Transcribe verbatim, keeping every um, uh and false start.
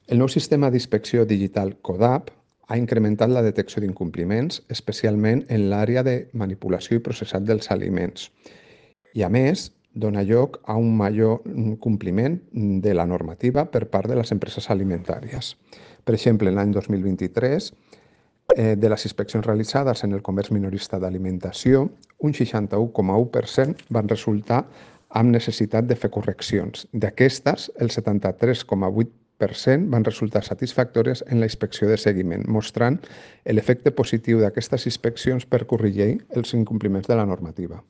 El nou sistema d'inspecció digital CODAP ha incrementat la detecció d'incompliments, especialment en l'àrea de manipulació i processat dels aliments. I, a més, dona lloc a un major compliment de la normativa per part de les empreses alimentàries. Per exemple, l'any dos mil vint-i-tres, eh, de les inspeccions realitzades en el comerç minorista d'alimentació, un seixanta-u coma u per cent van resultar amb necessitat de fer correccions. D'aquestes, el setanta-tres coma vuit per cent van resultar satisfactòries en la inspecció de seguiment, mostrant l'efecte positiu d'aquestes inspeccions per corregir els incompliments de la normativa.